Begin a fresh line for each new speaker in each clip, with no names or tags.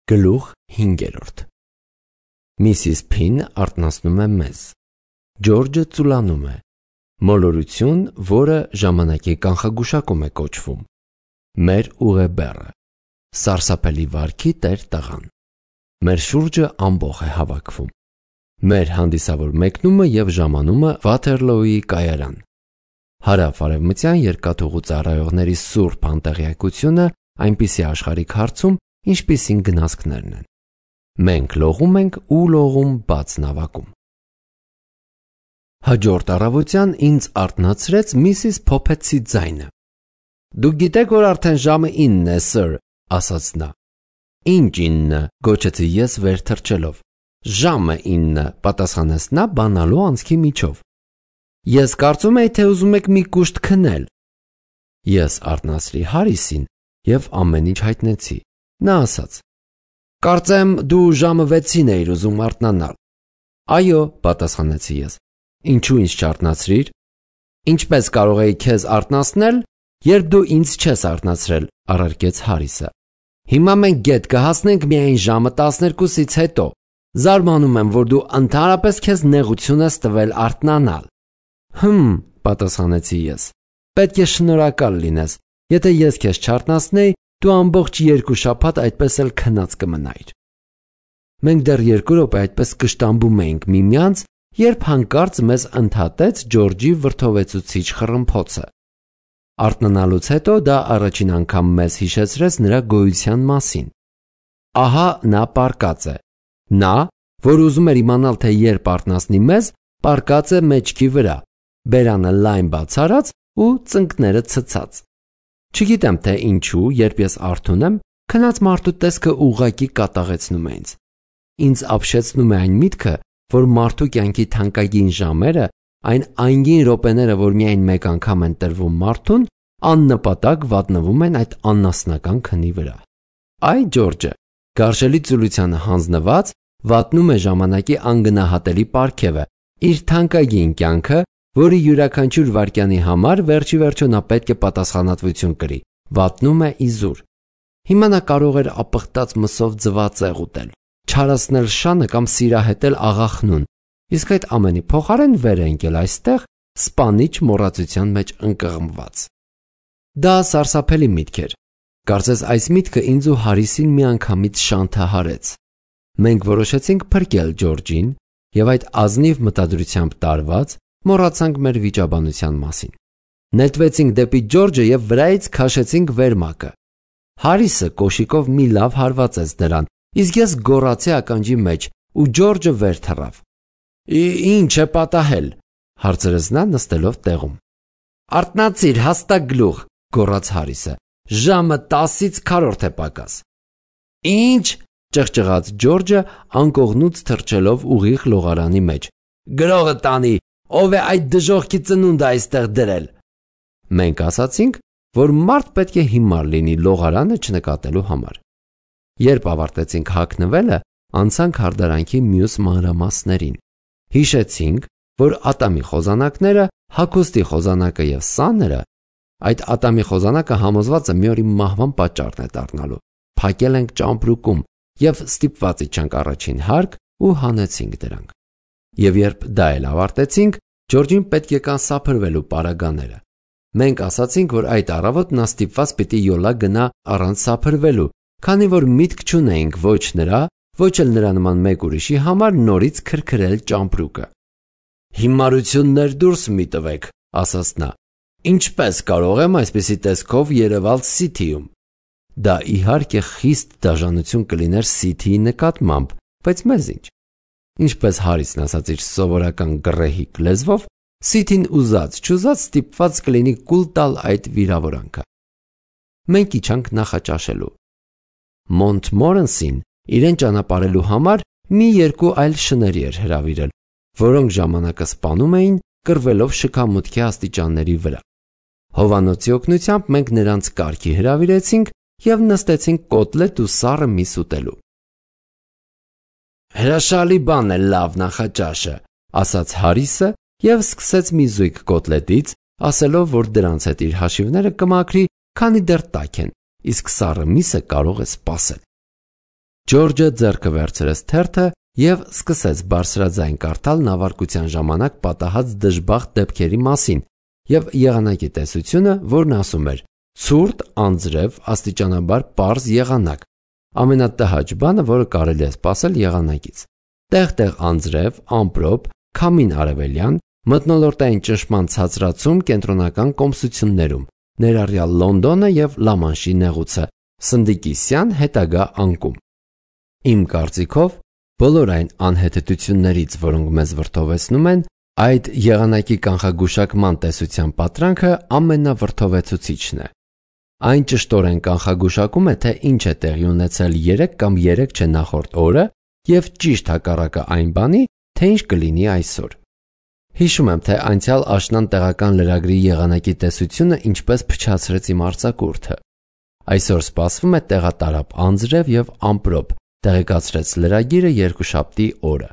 Գլուխ 5 Միսիս Փին արթնացնում է մեզ։ Ջորջը ծուլանում է։ Մոլորություն, որը ժամանակի կանխագուշակում է կոչվում։ Մեր ուղեբեռը։ Սարսափելի վարքի տեր տղան։ Մեր շուրջը ամբոխ է հավաքվում։ Մեր հանդիսավոր մեկնումը և ժամանումը Վաթերլոուի կայարան։ Հարավ-արևմտյան երկաթուղու ծառայողների սուրբ անտեղյակությունը այնպիսի աշխարհիկ հարցում, ինչպիսին գնացքներն են։ Մենք լողում ենք ու լողում բաց նավակում։ Հաջորդ առավոտյան ինձ արթնացրեց Միսիս Փոփեցի ձայնը։ Դուք գիտեք, որ արդեն ժամը 9 է, սըր, ասաց նա։ Ինչ 9, գոչեցի ես վեր թռչելով։ Ժամը 9, պատասխանեց նա բանալու անցքի միջով։ Ես կարծում էի, թե ուզում եք մի կուշտ քնել։ Ես արթնացրի Հարիսին և ամեն ինչ հայտնեցի։ Նա ասաց. Կարծեմ դու ժամը 6-ին էիր ուզում արթնանալ։ Այո, պատասխանեցի ես։ Ինչու ինձ չարթնացրիր։ Ինչպես կարող էի քեզ արթնացնել, երբ դու ինձ չես արթնացրել, առարկեց Հարիսը։ Հիմա մենք գետ կհասնենք միայն ժամը 12-ից հետո։ Զարմանում եմ, որ դու ընդհանրապես քեզ նեղություն ես տվել արթնանալ։ Պատասխանեցի ես։ Պետք է շնորհակալ լինես։ Եթե ես քեզ չարթնացնեի, դու ամբողջ 2 շաբաթ այդպես էլ քնած կմնայիր։ Մենք դեռ 2 րոպե այդպես կշտամբում էինք միմյանց, երբ հանկարծ մեզ ընդհատեց Ջորջի վրդովեցուցիչ խռմփոցը։ Արթնանալուց հետո դա առաջին անգամ մեզ հիշեցրեց նրա գոյության մասին։ Ահա նա պառկած է։ Նա, որ ուզում էր իմանալ, թե երբ արթնացնի մեզ, պառկած է մեջքի վրա, բերանը լայն բաց արած ու ծնկները ցցած։ Չգիտեմ, թե ինչու, երբ ես արթուն եմ, քնած մարդու տեսքը ուղղակի կատաղեցնում է ինձ։ Ինձ ապշեցնում է այն միտքը, որ մարդու կյանքի թանկագին ժամերը, այն անգին րոպեները, որ միայն մեկ անգամ են տրվում մարդուն, աննպատակ վատնվում են այդ աննասնական քնի վրա։ Այ Ջորջը, գարշելի ծուլությանը հանձնված, վատնում է ժամանակի անգնահատելի պարգևը, իր թանկագին կյանքը, որի յուրաքանչյուր վայրկյանի համար վերջի վերջո նա պետք է պատասխանատվություն կրի, վատնում է իզուր։ Հիմա նա կարող էր ապխտած մսով ձվածեղ ուտել, չարացնել շանը կամ սիրահետել աղախնուն, իսկ այդ ամենի փոխարեն վեր է ընկել այստեղ, սպանիչ մոռացության մեջ ընկղմված։ Դա սարսափելի միտք էր։ Կարծես այս միտքը ինձ ու Հարիսին միանգամից շանթահարեց։ Մենք որոշեցինք փրկել Ջորջին և այդ ազնիվ մտադրությամբ տարված մոռացանք մեր վիճաբանության մասին։ Նետվեցինք դեպի Ջորջը և վրայից քաշեցինք վերմակը։ Հարիսը կոշիկով մի լավ հարվածեց դրան, իսկ ես գոռացի ականջի մեջ, ու Ջորջը վեր թռավ։ Ինչ է պատահել, հարցրեց նա նստելով տեղում։ Արթնացիր, հաստա գլուխ, գոռաց Հարիսը։ Ժամը 10-ից քառորդ է պակաս։ Ինչ, ճղճղաց Ջորջը անկողնուց թռչելով ուղիղ լողարանի մեջ։ Գրողը տանի, ով է այդ դժոխքի ծնունդը այստեղ դրել։ Մենք ասացինք, որ մարդ պետք է հիմար լինի լողարանը չնկատելու համար։ Երբ ավարտեցինք հագնվելը, անցանք հարդարանքի մյուս մանրամասներին։ Հիշեցինք, որ ատամի խոզանակները, հագուստի խոզանակը և սաները, այդ ատամի խոզանակը համոզված է մի օր իմ մահվան պատճառն է դառնալու, փակել ենք ճամպրուկում և ստիպված իջանք առաջին հարկ ու հանեցինք դրանք։ Եվ երբ դա էլ ավարտեցինք, Ջորջին պետք եկան սափրվելու պարագաները։ Մենք ասացինք, որ այդ առավոտ նա ստիպված պիտի յոլա գնա առանց սափրվելու, քանի որ միտք չունեինք ոչ նրա, ոչ էլ նրա նման մեկ ուրիշի համար նորից քրքրել ճամպրուկը։ Հիմարություններ դուրս մի տվեք, ասաց նա։ Ինչպես կարող եմ այսպիսի տեսքով երևալ Սիթիում։ Դա իհարկե խիստ դաժանություն կլիներ Սիթիի նկատմամբ, բայց մեզ ինչ։ Ինչպես Հարիսն ասաց իր սովորական գռեհիկ լեզվով, Սիթին ուզած-չուզած ստիպված կլինի կուլ տալ այդ վիրավորանքը։ Մենք իջանք նախաճաշելու։ Մոնտմորենսին իրեն ճանապարհելու համար մի 2 այլ շների էր հրավիրել, որոնք ժամանակը սպանում էին, կռվելով շքամուտքի աստիճանների վրա։ Հովանոցի օգնությամբ մենք նրանց կարգի հրավիրեցինք և նստեցինք կոտլետ ու սառը միս ուտելու։ Հրաշալի բան է լավ նախաճաշը, ասաց Հարիսը և սկսեց մի զույգ կոտլետից, ասելով, որ դրանց հետ իր հաշիվները կմաքրի, քանի դեռ տաք են, իսկ սառը միսը կարող է սպասել։ Ջորջը ձեռքը վերցրեց թերթը և սկսեց բարձրաձայն կարդալ նավարկության ժամանակ պատահած դժբախտ դեպքերի մասին և եղանակի տեսությունը, որն ասում էր. ցուրտ, անձրև, աստիճանաբար պարզ եղանակ, ամենատհաճ բանը, որը կարելի է սպասել եղանակից, տեղ-տեղ անձրև, ամպրոպ, քամին արևելյան, մթնոլորտային ճնշման ցածրացում կենտրոնական կոմսություններում, ներառյալ Լոնդոնը և Լամանշի նեղուցը, Սնդիկիսյան հետագա անկում։ Իմ կարծիքով, բոլոր այն անհեթեթություններից, որոնք մեզ վրդովեցնում են, այդ եղանակի կանխագուշակման տեսության պատրանքը ամենավրդովեցուցիչն է։ Այն ճշտորեն կանխագուշակում է, թե ինչ է տեղի ունեցել 3 կամ 3 չէ նախորդ օրը և ճիշտ հակառակը այն բանի, թե ինչ կլինի այսօր։ Հիշում եմ, թե անցյալ աշնան տեղական լրագրի եղանակի տեսությունը ինչպես փչացրեց իմ արձակուրդը։ Այսօր սպասվում է տեղատարապ անձրև և ամպրոպ, տեղեկացրեց լրագիրը երկուշաբթի օրը։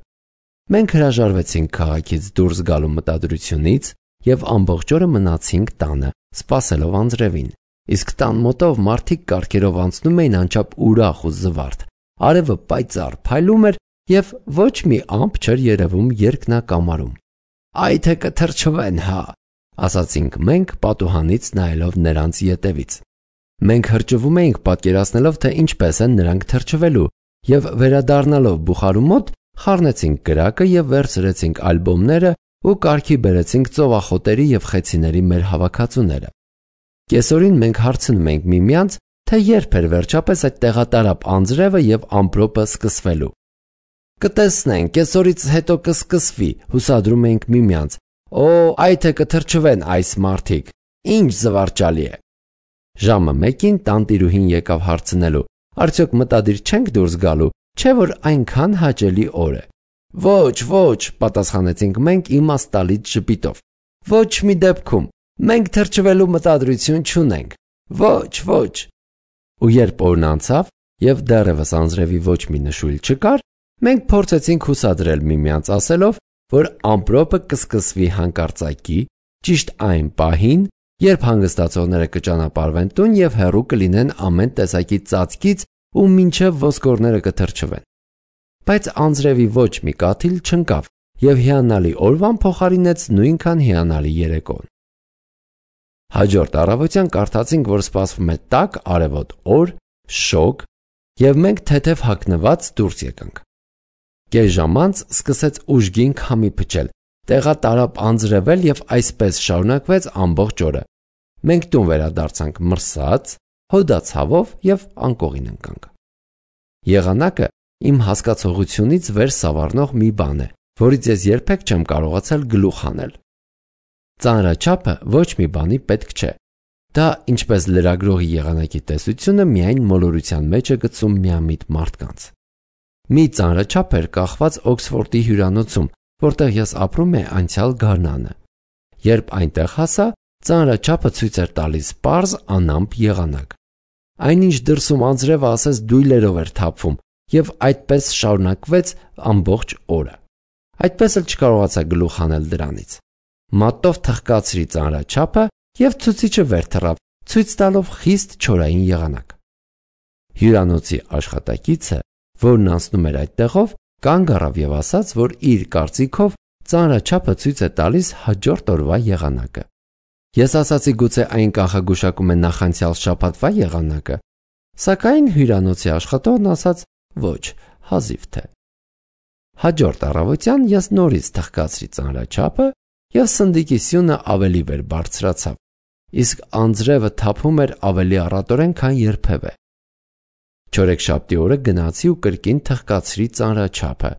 Մենք հրաժարվեցինք քաղաքից դուրս գալու մտադրությունից և ամբողջ օրը մնացինք տանը, սպասելով անձրևին, իսկ տան մոտով մարդիկ կառքերով անցնում էին անչափ ուրախ ու զվարթ, արևը պայծառ փայլում էր և ոչ մի ամպ չէր երևում երկնակամարում։ «Այ թե կթրջվեն, հա», ասացինք մենք, պատուհանից նայելով նրանց ետևից։ Մենք հրճվում էինք պատկերացնելով, թե ինչպես են նրանք թրջվելու, և վերադառնալով բուխարու մոտ խառնեցինք կրակը և վերցրեցինք ալբոմները ու կարգի բերեցինք ծովախոտերի և խեցիների մեր հավաքածուները։ Կեսօրին մենք հարցնում էինք միմյանց, թե երբ էր վերջապես այդ տեղատարապ անձրևը և ամպրոպը սկսվելու։ «Կտեսնենք, կեսօրից հետո կսկսվի», հուսադրում էինք միմյանց։ «Օ, այ թե կթրջվեն այս մարդիկ, ինչ զվարճալի է»։ Ժամը 1-ին տանտիրուհին եկավ հարցնելու. «Արդյոք մտադիր չենք դուրս գալու, չէ՞ որ այնքան հաճելի օր է»։ «Ոչ, ոչ», պատասխանեցինք մենք իմաստ տալից ժպիտով։ «Ոչ մի դեպքում, մենք թրջվելու մտադրություն չունենք, ոչ, ոչ»։ Ու երբ օրն անցավ և դեռևս անձրևի ոչ մի նշույլ չկար, մենք փորձեցինք հուսադրել միմյանց ասելով, որ ամպրոպը կսկսվի հանկարծակի, ճիշտ այն պահին, երբ հանգստացողները կճանապարհվեն տուն և հեռու կլինեն ամեն տեսակի ծածկից ու մինչև ոսկորները կթրջվեն։ Բայց անձրևի ոչ մի կաթիլ չընկավ և հիանալի օրվան փոխարինեց նույնքան հիանալի երեկոն։ Հաջորդ առավոտյան կարդացինք, որ սպասվում է տաք արևոտ օր, շոգ, և մենք թեթև հագնված դուրս եկանք։ Կես ժամ անց սկսեց ուժգին քամի փչել, տեղատարապ անձրևել և այսպես շարունակվեց ամբողջ օրը։ Մենք տուն վերադարձանք մրսած, հոդացավով և անկողին ընկանք։ Եղանակը իմ հասկացողությունից վեր սավառնող մի բան է, որից ես երբեք չեմ կարողացել գլուխ հանել։ Ծանրաչափը ոչ մի բանի պետք չէ։ Դա, ինչպես լրագրողի եղանակի տեսությունը, միայն մոլորության մեջ է գցում միամիտ մարդկանց։ Մի ծանրաչափ էր կախված Օքսֆորդի հյուրանոցում, որտեղ ես ապրում էի անցյալ գարնանը։ Երբ այնտեղ հասա, ծանրաչափը ցույց էր տալիս պարզ անամպ եղանակ։ Այնինչ դրսում անձրևը ասես դույլերով էր թափվում և այդպես շարունակվեց ամբողջ օրը։ Այդպես էլ չկարողացա գլուխ հանել դրանից։ Մատով թխկացրի ծանրաչափը և ցուցիչը վեր թռավ, ցույց տալով խիստ չորային եղանակ։ Հյուրանոցի աշխատակիցը, որն անցնում էր այդտեղով, կանգ առավ և ասաց, որ իր կարծիքով ծանրաչափը ցույց է տալիս հաջորդ օրվա եղանակը։ Ես ասացի, գուցե այն կանխագուշակում է նախանցյալ շաբաթվա եղանակը, սակայն հյուրանոցի աշխատողն ասաց. ոչ, հազիվ թե։ Հաջորդ առավոտյան ես նորից թխկացրի ծանրաչափը և սնդիկի սյունը ավելի վեր բարձրացավ, իսկ անձրևը թափում էր ավելի առատորեն, քան երբևէ։ Չորեքշաբթի օրը գնացի ու կրկին թխկացրի ծանրաչափը։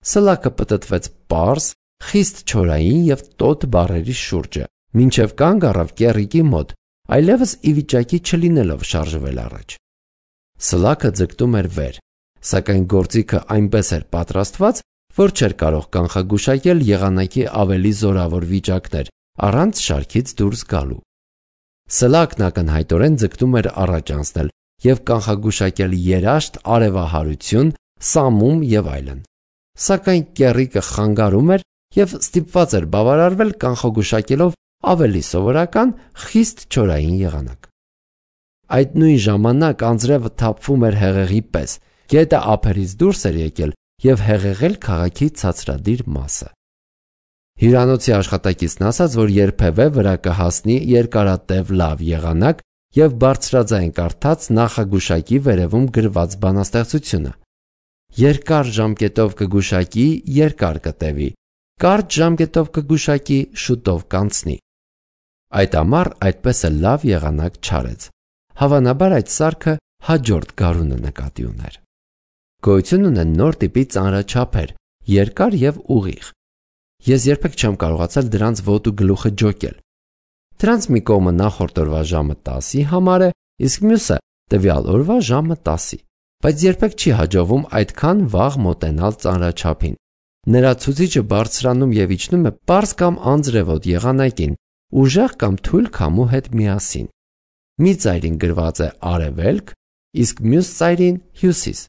Սլաքը պտտվեց պարզ, խիստ չորային և տոտ բառերի շուրջը, մինչև կանգ առավ կեռիկի մոտ, այլևս ի վիճակի չլինելով շարժվել առաջ։ Սլաքը ձգտում էր վեր, սակայն գործիքը այնպես էր պատրաստված, որ չէր կարող կանխագուշակել եղանակի ավելի զորավոր վիճակներ առանց շարքից դուրս գալու։ Սլակն ակնհայտորեն ձգտում էր առաջ անցնել և կանխագուշակել երաշտ, արևահարություն, սամում և այլն, սակայն կեռիկը խանգարում էր և ստիպված էր բավարարվել կանխագուշակելով ավելի սովորական, խիստ չորային եղանակ։ Այդ նույն ժամանակ անձրևը թափվում էր հեղեղի պես Գետը ափերից դուրս էր եկել և հեղեղել քաղաքի ցածրադիր մասը։ Հյուրանոցի աշխատակիցն ասաց, որ երբևէ վրա կհասնի երկարատև լավ եղանակ և բարձրաձայն կարդաց նախագուշակի վերևում գրված բանաստեղծությունը. երկար ժամկետով կգուշակի, երկար կտևի, կարճ ժամկետով կգուշակի, շուտով կանցնի։ Այդ ամառ այդպես էլ լավ եղանակ չարեց։ Հավանաբար այդ սարքը հաջորդ գարունը նկատի ուներ։ Գոյություն ունեն նոր տիպի ծանրաչափեր, երկար և ուղիղ։ Ես երբեք չեմ կարողացել դրանց ոտու գլուխը ջոկել։ Դրանց մի կողմը նախորդ օրվա ժամը 10-ի համար է, իսկ մյուսը տվյալ օրվա ժամը 10-ի, բայց երբեք չի հաջողվում այդքան վաղ մոտենալ ծանրաչափին։ Նրա ցուցիչը բարձրանում և իջնում է պարզ կամ անձրևոտ եղանակին, ուժեղ կամ թույլ քամու հետ միասին։ Մի ծայրին գրված է արևելք, իսկ մյուս ծայրին հյուսիս։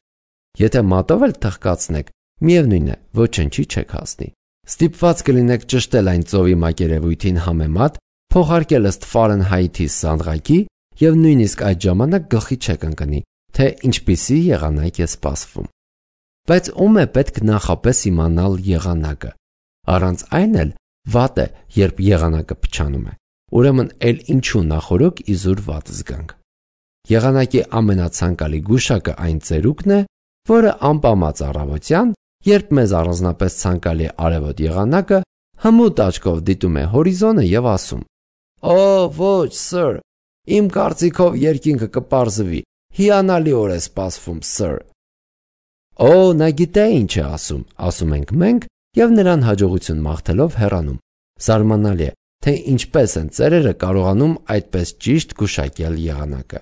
Եթե մատով էլ թխկացնեք, միևնույն է, ոչնչի չեք հասնի։ Ստիպված կլինեք ճշտել այն ծովի մակերևույթին համեմատ, փոխարկել ըստ Ֆարենհայթի սանդղակի և նույնիսկ այդ ժամանակ գլխի չեք ընկնի, թե ինչպիսի եղանակ է սպասվում։ Բայց ում է պետք նախապես իմանալ եղանակը։ Առանց այն էլ վատ է, երբ եղանակը փչանում է։ Ուրեմն էլ ինչու նախօրոք իզուր վատ զգանք։ Եղանակի ամենացանկալի գուշակը այն ծերուկն է, որը անպամած առավոտյան, երբ մեզ առանձնապես ցանկալի է արևոտ եղանակը, հմուտ աչքով դիտում է հորիզոնը և ասում. «Օ, ոչ, սըր, իմ կարծիքով երկինքը կպարզվի, հիանալիորեն է սպասվում, սըր»։ «Օ, նա գիտե ինչ է ասում ենք մենք և նրան հաջողություն մաղթելով հեռանում։ Զարմանալի է, թե ինչպես են ծերերը կարողանում այդպես ճիշտ գուշակել եղանակը։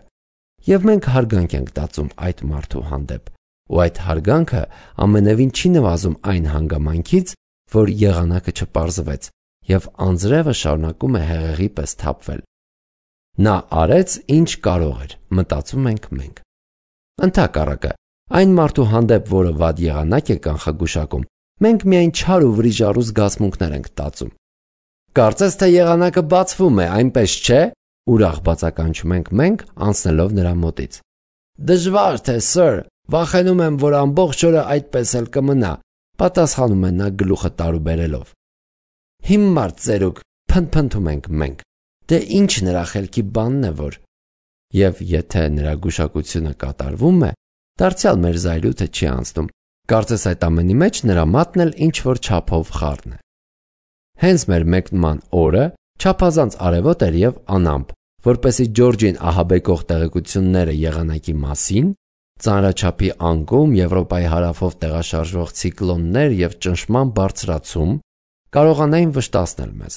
Եվ մենք հարգանք ենք տածում այդ մարդու հանդեպ, ու այդ հարգանքը ամենևին չի նվազում այն հանգամանքից, որ եղանակը չպարզվեց, և անձրևը շարունակում է հեղեղի պես թափվել։ Նա արեց, ինչ կարող էր, մտածում ենք մենք։ Ընդհակառակը, այն մարդու հանդեպ, որը վատ եղանակ է կանխագուշակում, մենք միայն չար ու վրիժառու զգացմունքներ ենք տածում։ Կարծես թե եղանակը բացվում է, այնպես չէ՞, ուրախ բացականչում ենք մենք, անցնելով նրա մոտից։ Դժվար թե, սըր, վախենում եմ, որ ամբողջ օրը այդպես էլ կմնա, պատասխանում է նա գլուխը տարուբերելով։ Հիմար ծերուկ, փնթփնթում ենք մենք։ Դե ինչ նրա խելքի բանն է, որ… Եվ եթե նրա գուշակությունը կատարվում է, դարձյալ մեր զայրույթը չի անցնում, կարծես այդ ամենի մեջ նրա մատն էլ ինչ-որ չափով խառն է։ Հենց մեր մեկնման օրը չափազանց արևոտ էր և անամպ, որպեսզի Ջորջին ահաբեկող տեղեկությունները եղանակի մասին, ծանրաչափի անկում, Եվրոպայի հարավով տեղաշարժվող ցիկլոններ և ճնշման բարձրացում կարողանային վշտացնել մեզ։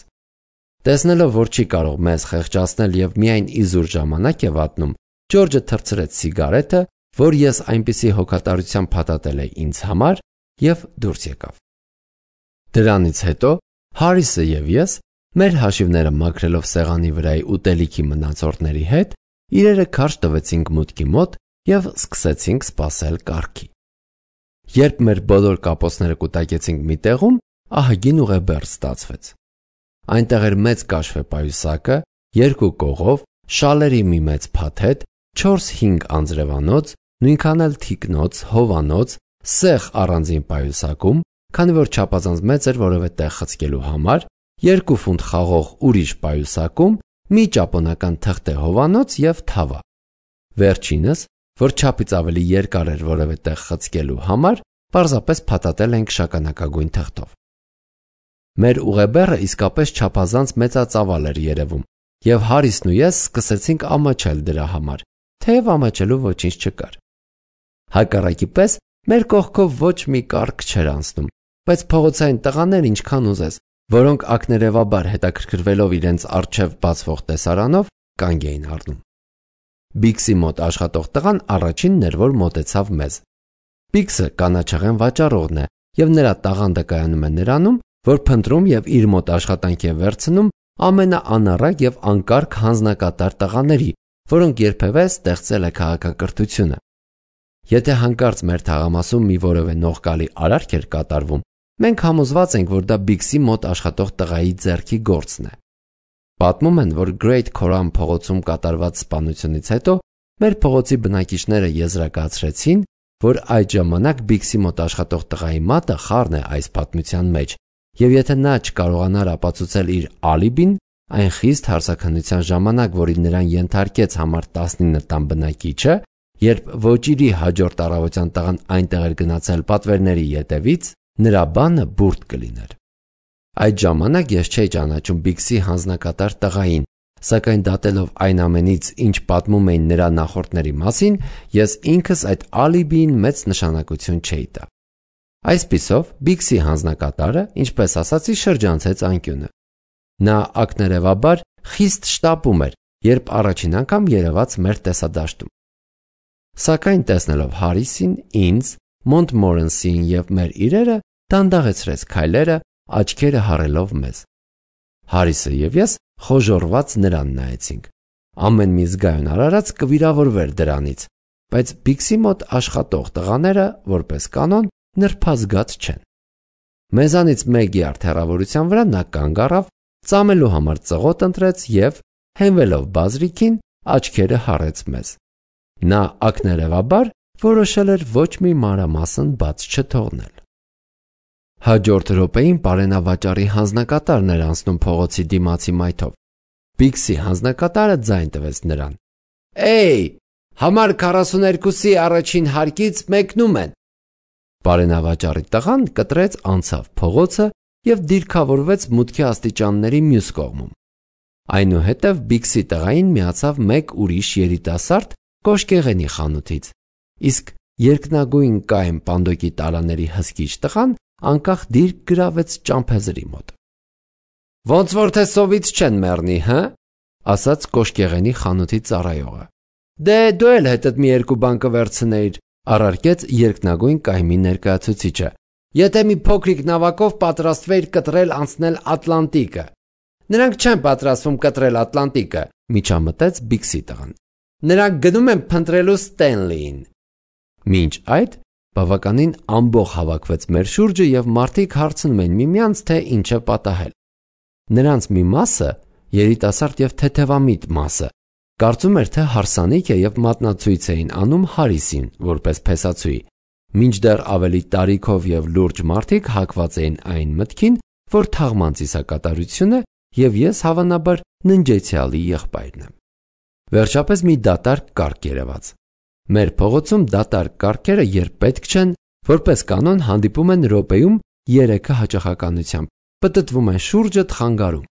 Տեսնելով, որ չի կարող մեզ խեղճացնել և միայն իզուր ժամանակ է վատնում, Ջորջը թռցրեց սիգարետը, որ ես այնպիսի հոգատարությամբ փաթաթել էի ինձ համար, և դուրս եկավ։ Դրանից հետո Հարիսը և ես, մեր հաշիվները մաքրելով սեղանի վրայի ուտելիքի մնացորդների հետ, իրերը քարշ տվեցինք մուտքի մոտ և սկսեցինք սպասել կառքի։ Երբ մեր բոլոր կապոցները կուտակեցինք մի տեղում, ահագին ուղեբեռ ստացվեց։ Այնտեղ էր մեծ կաշվե պայուսակը, երկու կողով, շալերի մի մեծ փաթեթ, 4-5 անձրևանոց, նույնքան էլ թիկնոց, հովանոց, սեղ առանձին պայուսակում, քանի որ չափազանց մեծ էր որևէ տեղ խցկելու համար, 2 ֆունտ խաղող ուրիշ պայուսակում, մի ճապոնական թղթե հովանոց և թավա։ Վերջինս, որ չափից ավելի երկար էր որևէ տեղ խցկելու համար, պարզապես փաթաթել ենք շագանակագույն թղթով։ Մեր ուղեբեռը իսկապես չափազանց մեծածավալ էր երևում, և Հարիսն ու ես սկսեցինք ամաչել դրա համար, թեև ամաչելու ոչինչ չկար։ Հակառակի պես մեր կողքով ոչ մի կառք չէր անցնում, բայց փողոցային տղաներ ինչքան ուզես, որոնք ակներևաբար հետաքրքրվելով իրենց առջև բացվող տեսարանով, կանգ էին առնում։ Բիքսի մոտ աշխատող տղան առաջինն էր, որ մոտեցավ մեզ։ Բիքսը կանաչեղեն վաճառողն է, և նրա տաղանդը կայանում է նրանում, որ փնտրում և իր մոտ աշխատանքի է վերցնում ամենաանառակ և անկարգ հանձնակատար տղաների, որոնք երբևէ ստեղծել է քաղաքակրթությունը։ Եթե հանկարծ մեր թաղամասում մի որևէ նողկալի արարք էր կատարվում, մենք համոզված ենք, որ դա Բիքսի մոտ աշխատող տղայի ձեռքի գործն է։ Պատմում են, որ Great Coram փողոցում կատարված սպանությունից հետո մեր փողոցի բնակիչները եզրակացրեցին, որ այդ ժամանակ Բիքսի մոտ աշխատող տղայի մատը խառն է այս պատմության մեջ, եւ եթե նա չկարողանար ապացուցել իր ալիբին, այն խիստ հարցաքննության ժամանակ, որին նրան ենթարկեց համար 19 տան բնակիչը, երբ ոճիրի հաջորդ առավոտյան տղան այնտեղ էր գնացել պատվերների ետևից, նրա բանը բուրդ կլիներ։ Այդ ժամանակ ես չէի ճանաչում Բիքսի հանձնակատար տղային, սակայն դատելով այն ամենից, ինչ պատմում էին նրա նախորդների մասին, ես ինքս այդ ալիբիին մեծ նշանակություն չէի տա։ Այսպիսով, Բիքսի հանձնակատարը, ինչպես ասացի, շրջանցեց անկյունը։ Նա ակներևաբար խիստ շտապում էր, երբ առաջին անգամ երևաց մեր տեսադաշտում։ Սակայն տեսնելով Հարիսին, ինձ, Մոնտմորենսին եւ մեր իրերը, դանդաղեցրեց քայլերը, աչքերը հառելով մեզ։ Հարիսը եւ ես խոժոռված նրան նայեցինք։ Ամեն մի զգայուն արարած կվիրավորվեր դրանից, բայց Բիքսի մոտ աշխատող տղաները, որպես կանոն, նրբազգաց չեն։ Մեզանից մեկի հեռավորության վրա նա կանգ առավ, ծամելու համար ծղոտ ընտրեց եւ, հենվելով բազրիքին, աչքերը հառեց մեզ։ Նա ակներևաբար որոշել էր ոչ մի մանրամասն բաց չթողնել։ Հաջորդ րոպեին պարենավաճառի հանձնակատարն էր անցնում փողոցի դիմացի մայթով։ Բիքսի հանձնակատարը ձայն տվեց նրան. «Էյ, համար 42-ի առաջին հարկից մեկնում են»։ Պարենավաճառի տղան կտրեց անցավ փողոցը եւ դիրքավորվեց մուտքի աստիճանների մյուս կողմում։ Այնուհետև Բիքսի տղային միացավ մեկ ուրիշ երիտասարդ կոշկեղենի խանութից, իսկ երկնագույն կայմ պանդոկի տարաների հսկիչ տղան անկախ դիրք գրավեց ճամփեզրի մոտ։ «Ոնց որ թե սովից չեն մեռնի, հը», ասաց կոշկեղենի խանութի ծառայողը։ «Դե դու էլ հետդ մի երկու բան կվերցնեիր», առարկեց երկնագույն կայմի ներկայացուցիչը, «եթե մի փոքրիկ նավակով պատրաստվեիր կտրել անցնել Ատլանտիկը»։ «Նրանք չեն պատրաստվում կտրել Ատլանտիկը», միջամտեց Բիքսի տղան։ «Նրանք գնում են փնտրելու Ստենլիին»։ Մինչ այդ բավականին ամբոխ հավաքվեց մեր շուրջը եւ մարդիկ հարցնում էին միմյանց, թե ինչ է պատահել։ Նրանց մի մասը, երիտասարդ եւ թեթևամիտ մասը, կարծում էր, թե հարսանիք է եւ մատնացույց էին անում Հարիսին որպես փեսացուի, մինչդեռ ավելի տարիքով եւ լուրջ մարդիկ հակված էին այն մտքին, որ թաղման ծիսակատարությունը եւ ես հավանաբար ննջեցյալի եղբայրն եմ։ Վերջապես մի դատարկ կարգ երևաց։ Մեր փողոցում դատարկ կարգերը, երբ պետք չեն, որպես կանոն հանդիպում են րոպեում 3-ը հաճախականությամբ, պտտվում են շուրջը խանգարում։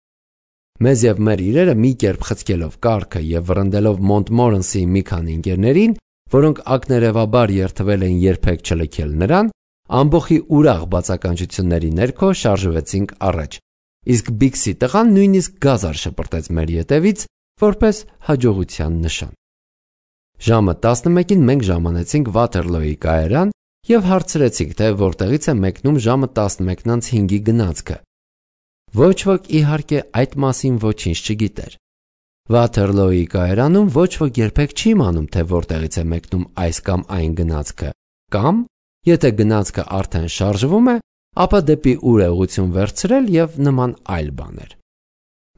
Մեզ եւ մեր իրերը մի կերպ խցկելով կարգը եւ վռնդելով Մոնտմորենսի մի քանի ընկերներին, որոնք ակներևաբար երթվել էին երբեք չլքել նրան, ամբողի ուրախ բացականչությունների ներքո շարժվեցինք առաջ, իսկ Բիքսի տղան նույնիսկ գազար շպրտեց մեր ետևից, որպես հաջողության նշան։ Ժամը 11-ին մենք ժամանեցինք Վաթերլոյի կայարան եւ հարցրեցինք, թե որտեղից է մեկնում ժամը 11:05-ի գնացքը։ Ոչ ոք իհարկե այդ մասին ոչինչ չգիտեր։ Վաթերլոյի կայարանում ոչ ոք երբեք չի իմանում, թե որտեղից է մեկնում այս կամ այն գնացքը, կամ, եթե գնացքը արդեն շարժվում է, ապա դեպի ուր է ուղղություն վերցրել եւ նման այլ բաներ։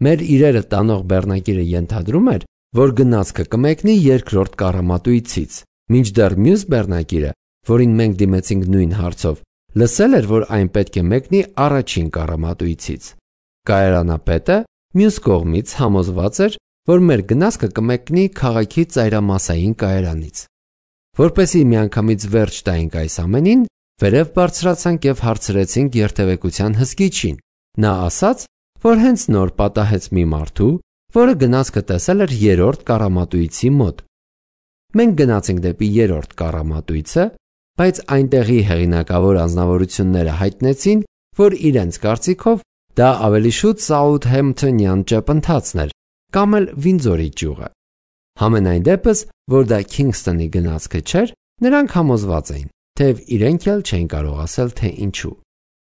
Մեր իրերը տանող բեռնակիրը ենթադրում էր, որ գնացքը կմեկնի երկրորդ կառամատույցից, մինչդեռ մյուս բեռնակիրը, որին մենք դիմեցինք նույն հարցով, լսել էր, որ այն պետք է մեկնի առաջին կառամատույցից։ Կայարանապետը մյուս կողմից համոզված էր, որ մեր գնացքը կմեկնի քաղաքի ծայրամասային կայարանից։ Որպեսզի միանգամից վերջ տայինք այս ամենին, վերև բարձրացանք եւ հարցրեցինք երթևեկության հսկիչին։ Նա ասաց, որ հենց նոր պատահեց մի մարդու, որը գնացքը տեսել էր երրորդ կառամատույցի մոտ։ Մենք գնացինք դեպի երրորդ կառամատույցը, բայց այնտեղի հեղինակավոր անձնավորությունները հայտնեցին, որ իրենց կարծիքով դա ավելի շուտ Սաութհեմփթոնյան ճեպընթացն էր, կամ էլ Վինձորի ճյուղը։ Համենայն դեպս, որ դա Քինգսթոնի գնացքը չէր, նրանք համոզված էին, թեև իրենք էլ չէին կարող ասել, թե ինչու։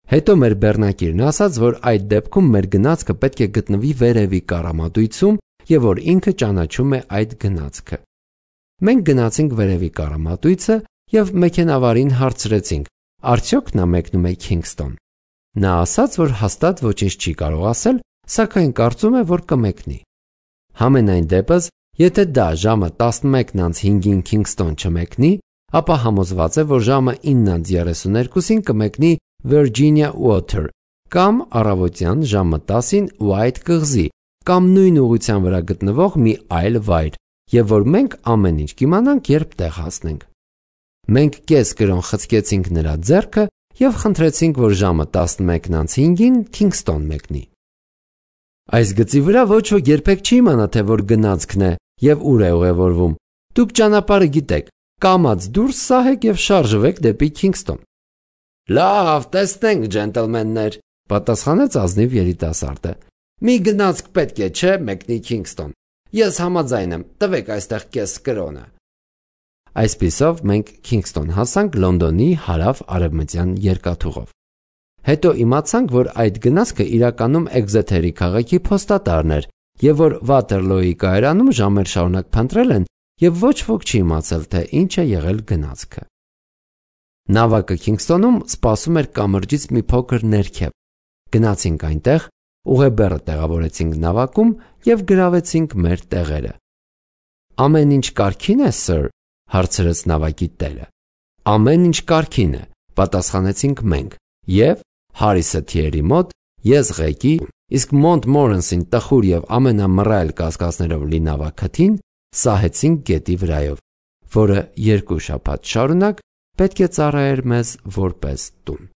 Հետո մեր բեռնակիրն ասաց, որ այդ դեպքում մեր գնացքը պետք է գտնվի վերևի կառամատույցում եւ որ ինքը ճանաչում է այդ գնացքը։ Մենք գնացինք վերևի կառամատույցը եւ մեքենավարին հարցրեցինք, արդյոք նա մեկնում է Քինգսթոն։ Նա ասաց, որ հաստատ ոչինչ չի կարող ասել, սակայն կարծում է, որ կմեկնի։ Համենայն դեպս, եթե դա ժամը 11:05-ին Քինգսթոն չմեկնի, ապա համոզված է, որ ժամը 9:32-ին կմեկնի Virginia Water կամ առավոտյան ժամը 10-ին White կղզի կամ նույն ուղղության վրա գտնվող մի այլ վայր, եւ որ մենք ամեն ինչ կիմանանք, երբ տեղ հասնենք։ Մենք կես կրոն խցկեցինք նրա ձեռքը եւ խնդրեցինք, որ ժամը 11:05-ին Քինգստոն մեկնի։ Այս գծի վրա ոչ ոք երբեք չի իմանա, թե որ գնացքն է եւ ուր է ուղևորվում։ Դուք ճանապարհը գիտեք, կամած դուրս սահեք եւ շարժվեք դեպի Քինգստոն։ Լավ, տեսնենք, ջենտլմեններ, պատասխանեց ազնիվ երիտասարդը։ Մի գնացք պետք է, չէ, մեկնի Քինգստոն։ Ես համաձայն եմ, տվեք այստեղ կես կրոնը։ Այսպիսով մենք Քինգստոն հասանք Լոնդոնի հարավ-արևմտյան երկաթուղով։ Հետո իմացանք, որ այդ գնացքը իրականում Էքզեթերի քաղաքի փոստատարն էր եւ որ Վաթերլոյի կայարանում ժամեր շարունակ փնտրել են եւ ոչ ոք չի իմացել, թե ինչ է եղել գնացքը։ Նավակը Քինգստոնում սպասում էր կամրջից մի փոքր ներքև։ Գնացինք այնտեղ, ուղեբեռը տեղավորեցինք նավակում եւ գրավեցինք մեր տեղերը։ Ամեն ինչ կարգին է, սըր, հարցրեց նավակի տերը։ Ամեն ինչ կարգին է, պատասխանեցինք մենք, եւ Հարիսը Թիերի մոտ, ես ղեկի, իսկ Մոնտմորենսին տխուր եւ ամենամռայլ կասկածներով լի նավակաթին սահեցինք գետի վրայով, որը 2 շաբաթ շարունակ պետք է ծառայեր մեզ որպես տուն։